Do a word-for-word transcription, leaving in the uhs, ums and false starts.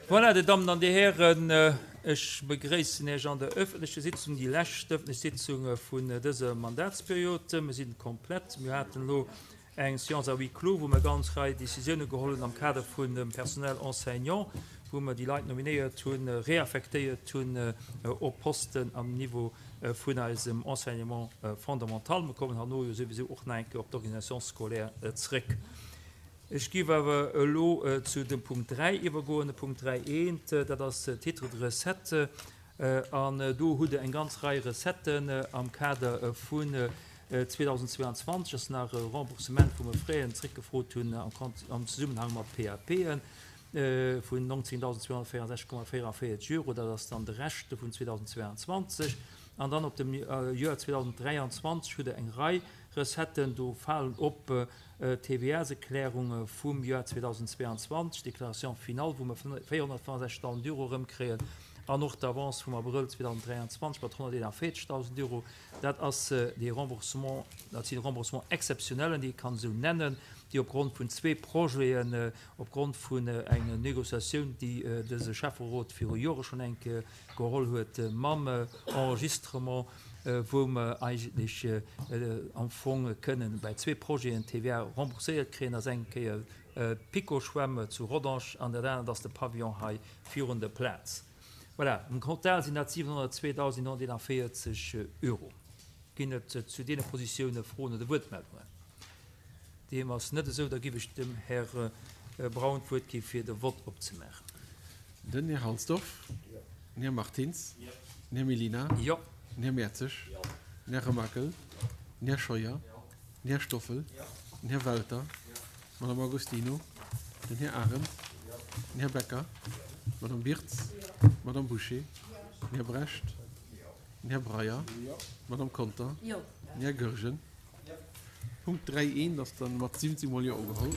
Voilà, Dir Dammen an Dir Hären, ech begréissen Iech an der öffentlecher Sitzung, déi lescht öffentlech Sitzung vun dëser Mandatsperiod. Mir sinn komplett. Mir haten elo eng Séance à huis clos, wou mer ganz Rei Décisioune geholl hunn am Kader vun dem Personnel enseignant, wou mer déi Leit nominéiert hunn, réaffectéiert hunn op Posten am Niveau vun eisem Enseignement fondamental. Mer kommen herno jo souwisou och nach eng Kéier op d'Organisation scolaire zréck. Ech géif awer elo zu dem Punkt dräi iwwergoen. De Punkt dräi eent, dat ass Titre de recette. An do hutt Der eng ganz Rei Recetten am Kader vun zweedausendzweianzwanzeg ass nach e Remboursement, wou mer Fräen zréckgefrot hunn am Zesummenhang mat P A P'en vun nonzéngtausendzweehonnertvéierundsechzeg Komma véieranvéierzeg Euro. Dat ass dann de Rescht vun zweedausendzweianzwanzeg. An dann op dem Joer zweedausenddräianzwanzeg hutt Der eng Rei Recetten. Do falen op d'T V A-s-Erklärung vum Joer zweedausendzweianzwanzeg, Déclaration finale, wou mer véierhonnertfënnefsechzegdausend Euro erëmkréien, an och d'Avance vum Abrëll zweedausenddräianzwanzeg mat honnerteenanvéierzegdausend Euro. Dat ass dee Remboursement, dat sinn Remboursement exceptionnellen, déi ee kann esou nennen, déi opgrond vun zwee Projeten, opgrond vun enger Négociatioun, déi dëse Schäfferot viru Jore schonn eng Kéier geholl huet mam Enregistrement, wou mer eigentlech am Fong kënnen bei zwee Projeten T V A rembourséiert kréien, ass eng Kéier d'Piko-Schwämm zu Rodange an dat anert ass de Pavillon hei virun der Plaz. Voilà, am Total sinn dat siwenhonnertzweedausendnonhonnerteenanvéierzeg Euro. Ginn et zu deene Positioune Froen oder Wuertmeldungen? Deem ass net esou, da giff ech dem Här Braun d'Wuert gi fir de Vott opzemaachen. Den Här Halsdorf. Den Här Martins. Den Här Mellina. Den Här Mertzig. Den Här Remakel. Den Här Scheuer. Den Här Stoffel. Den Här Welter. D'Madame Agostino. Den Här Arendt. Den Här Becker. D'Madame Birtz. D'Madame Bouché. Den Här Brecht. Den Här Breyer. D'Madame Conter. Den Här Goergen. Punkt dräi eent ass dann mat siwwenzéng mol Jo ugeholl.